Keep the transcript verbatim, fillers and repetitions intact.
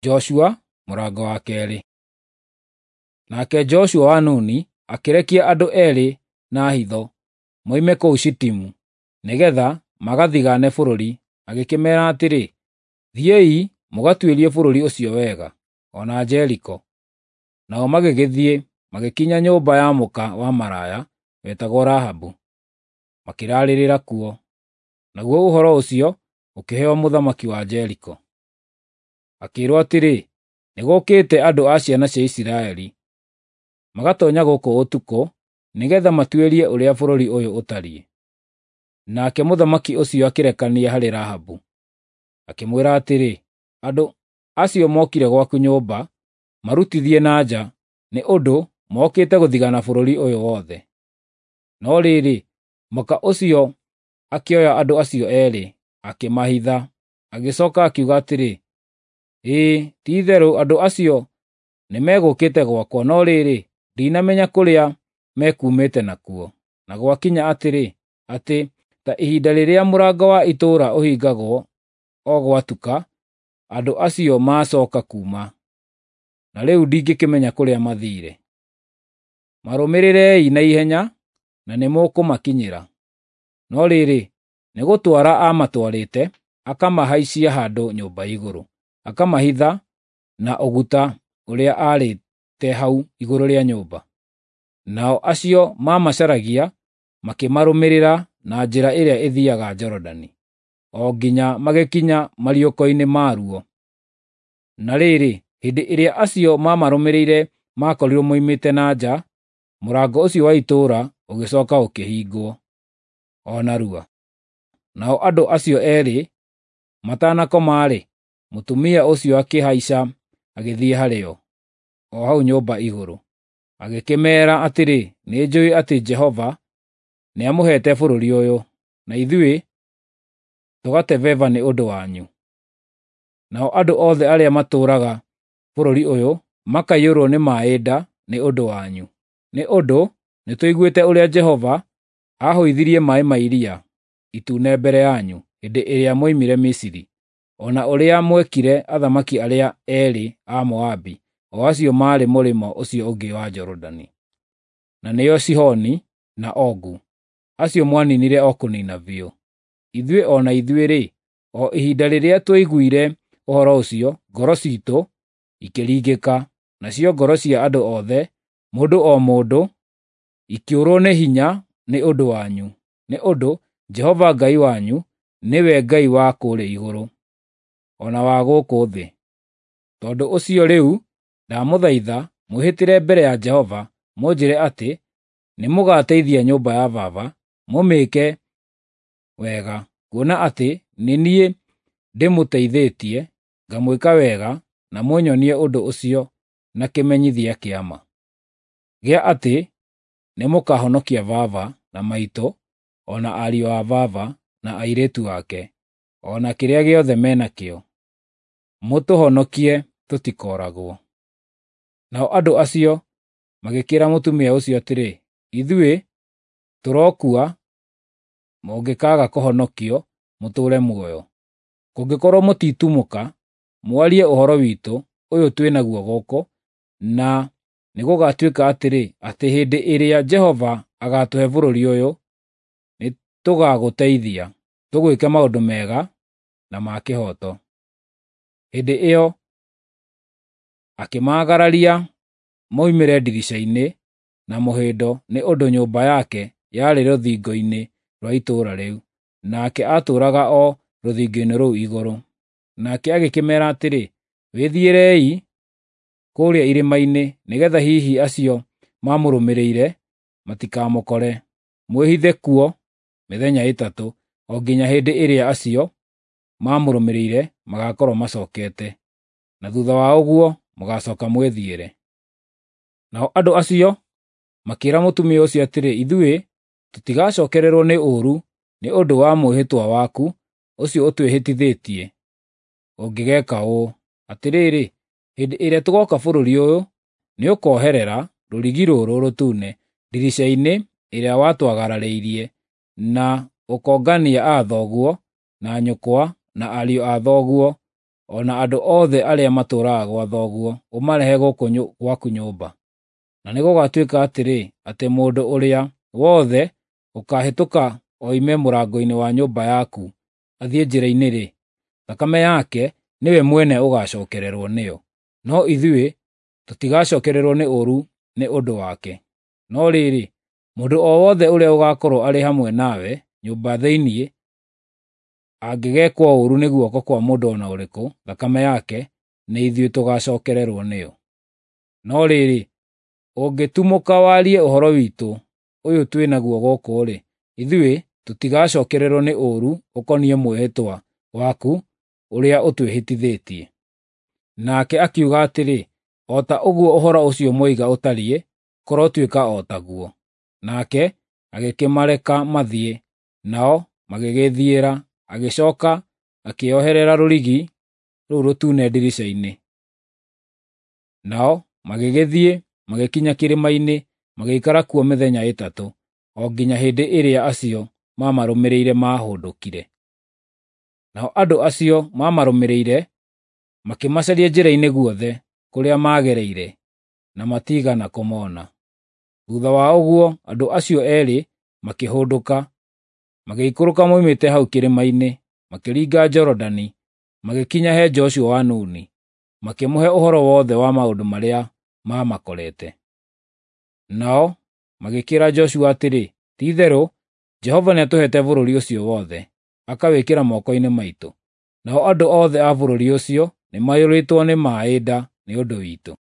Joshua mũrango wa keerĩ. Nake Joshua wa Nuni akĩrekia andũ eerĩ na hitho moime kũu Shitimu, nĩgeetha magathigaane bũrũri, agĩkĩmeera atĩrĩ, “Thiĩi mũgatuĩrie bũrũri ũcio wega, o na Jeriko.” Nao magĩgĩthiĩ magĩkinya nyũmba ya mũka wa maraya wetagwo Rahabu, makĩraarĩrĩra kuo. Naguo ũhoro ũcio ũkĩheo mũthamaki wa Jeriko. Akĩĩrwo atĩrĩ, “Nĩgũũkĩte andũ a ciana cia Isiraeli, magatoonya gũkũ ũtukũ, nĩgeetha matuĩrie ũrĩa bũrũri ũyũ ũtariĩ.” Nake mũthamaki ũcio akĩrekania harĩ Rahabu, akĩmwĩra atĩrĩ, “Andũ acio mokire gwaku nyũmba, marutithie na nja, nĩ ũndũ mokĩte gũthigaana bũrũri ũyũ wothe.” No rĩrĩ, mũka ũcio akĩoya andũ acio eerĩ, akĩmahitha, agĩcooka akiuga atĩrĩ, “Ĩĩ, ti-itherũ andũ acio nĩmegũkĩte gwakwa, no rĩrĩ, ndinamenya kũrĩa mekuumĩte nakuo. Na gwakinya atĩrĩ, atĩ ta ihinda rĩrĩa mũrango wa itũũra ũhingagwo o gwatuka, andũ acio maacooka kuuma, na rĩu ndingĩkĩmenya kũrĩa mathiire. Marũmĩrĩrei na ihenya, na nĩmũkũmakinyĩra.” No rĩrĩ, nĩgũtwara aamatwarĩte, akamahaicia handũ nyũmba igũrũ, akamahitha na ũguta ũrĩa aarĩte hau igũrũ rĩa nyũmba. Nao acio maamacaragia makĩmarũmĩrĩra na njĩra ĩrĩa ĩthiiaga Jorodani, o nginya magĩkinya mariũko-inĩ maruo. Na rĩrĩ, hĩndĩ ĩrĩa acio maamarũmĩrĩire maakorirwo moimĩte na nja, mũrango ũcio wa itũũra ũgĩcooka ũkĩhingwo o narua. Nao andũ acio eerĩ matanakoma-rĩ, mũtumia ũcio akĩhaica agĩthiĩ harĩo, o hau nyũmba igũrũ. Agĩkĩmeera atĩrĩ, “Nĩnjũũĩ atĩ Jehova nĩamũheete bũrũri ũyũ, na ithuĩ tũgatebeba nĩ ũndũ wanyu. Nao andũ othe arĩa matũũraga bũrũri ũyũ makaiyũrwo nĩ maaĩ nda nĩ ũndũ wanyu, nĩ ũndũ nĩtũiguĩte ũrĩa Jehova aahũithirie maaĩ ma Iria Itune mbere yanyu hĩndĩ ĩrĩa mwoimire Misiri, o na ũrĩa mwekire athamaki arĩa eerĩ a Moabi, o acio maarĩ mũrĩmo ũcio ũngĩ wa Jorodani, na nĩo Sihoni na Ogu, acio mwaniinire o kũniina biũ. Ithuĩ o na ithuĩ-rĩ, o ihinda rĩrĩa twaiguire ũhoro ũcio, ngoro ciitũ ikĩringĩka, nacio ngoro cia andũ othe, mũndũ o mũndũ, ikĩũrwo nĩ hinya nĩ ũndũ wanyu, nĩ ũndũ Jehova Ngai wanyu nĩwe Ngai wa kũũrĩa igũrũ, o na wa gũkũ thĩ. Tondũ ũcio rĩu ndamũthaitha mwĩhĩtĩre mbere ya Jehova mũnjĩĩre atĩ nĩmũgateithia nyũmba ya baba, mũmĩĩke wega, kuona atĩ nĩ niĩ ndĩmũteithĩtie, ngamwĩka wega, na mũnyonie ũndũ ũcio na kĩmenyithia kĩa ma, gĩa atĩ nĩmũkahonokia baba na maitũ, o na ariũ a baba na airĩtu ake, o na kĩrĩa gĩothe me nakĩo. Mũtũhonokie tũtikooragwo.” Nao andũ acio magĩkĩĩra mũtumia ũcio atĩrĩ, “Ithuĩ tũrokua mũngĩkaaga kũhonokio mũtũũre muoyo. Kũngĩkorwo mũtitumũka mwarie ũhoro witũ ũyũ twĩ naguo gũkũ, na nĩgũgatuĩka atĩrĩ, atĩ hĩndĩ ĩrĩa Jehova agaatũhe bũrũri ũyũ, nĩtũgagũteithia, tũgwĩke maũndũ mega na ma kĩhooto.” Hĩndĩ ĩyo akĩmaagararia moimĩre ndirica-inĩ na mũhĩndo nĩ ũndũ nyũmba yake yarĩ rũthingo-inĩ rwa itũũra rĩu, nake aatũũraga o rũthingo-inĩ rũu igũrũ. Nake agĩkĩmeera atĩrĩ, “Wĩthiĩrei kũũrĩa irĩma-inĩ, nĩgeetha hihi acio mamũrũmĩrĩire matikamũkore. Mwĩhithe kuo mĩthenya ĩtatũ, o nginya hĩndĩ ĩrĩa acio mamũrũmĩrĩire magaakorwo macookete, na thuutha wa ũguo mũgaacooka mwĩthiĩre.” Nao andũ acio makĩĩra mũtumia ũcio atĩrĩ, “Ithuĩ tũtigacookererwo nĩ ũũru nĩ ũndũ wa mwĩhĩtwa waku ũcio ũtwĩhĩtithĩtie ũngĩgeeka ũũ: Atĩrĩrĩ, hĩndĩ ĩrĩa tũgooka bũrũri ũyũ, nĩũkoherera rũrigi rũrũ rũtune ndirica-inĩ ĩrĩa watwagararĩirie, na ũkongania aa thoguo na nyũkwa na ariũ a thoguo o na andũ othe arĩa matũũraga gwa thoguo, ũmarehe gũkũ gwaku nyũmba. Na nĩgũgatuĩka atĩrĩ, atĩ mũndũ ũrĩa wothe ũkaahĩtũka oime mũrango-inĩ wa nyũmba yaku athiĩ njĩra-inĩ-rĩ, thakame yake nĩwe mwene ũgacookererwo nĩyo, no ithuĩ tũtigacookererwo nĩ ũũru nĩ ũndũ wake. No rĩrĩ, mũndũ o wothe ũrĩa ũgaakorwo arĩ hamwe nawe nyũmba thĩinĩ angĩgeekwo ũũru nĩ guoko kwa mũndũ o na ũrĩkũ, thakame yake nĩ ithuĩ tũgaacookererwo nĩyo. No rĩrĩ, ũngĩtumũka warie ũhoro witũ ũyũ twĩ naguo gũkũ-rĩ, ithuĩ tũtigacookererwo nĩ ũũru ũkoniĩ mwĩhĩtwa waku ũrĩa ũtwĩhĩtithĩtie. Nake akiuga atĩrĩ, O ta ũguo ũhoro ũcio mwoiga ũtariĩ, kũrotuĩka o taguo. Nake agĩkĩmareka mathiĩ, nao magĩgĩĩthiĩra, agĩcooka akĩoherera rũrigi rũu rũtune ndirica-inĩ. Nao magĩgĩthiĩ magĩkinya kĩrĩma-inĩ, magĩikara kuo mĩthenya ĩtatũ, o nginya hĩndĩ ĩrĩa acio maamarũmĩrĩire maahũndũkire. Nao andũ acio maamarũmĩrĩire makĩmacaria njĩra-inĩ guothe kũrĩa maagereire, na matiigana kũmona. Thuutha wa ũguo andũ acio eerĩ makĩhũndũka, magĩikũrũka moimĩte hau kĩrĩma-inĩ, makĩringa Jorodani, magĩkinya he Joshua wa Nuni, makĩmũhe ũhoro wothe wa maũndũ marĩa maamakorete. Nao magĩkĩĩra Joshua atĩrĩ, “Ti-itherũ Jehova nĩatũheete bũrũri ũcio wothe, akawĩkĩra moko-inĩ maitũ. Nao andũ othe a bũrũri ũcio nĩmaiyũrĩtwo nĩ maaĩ nda nĩ ũndũ witũ.”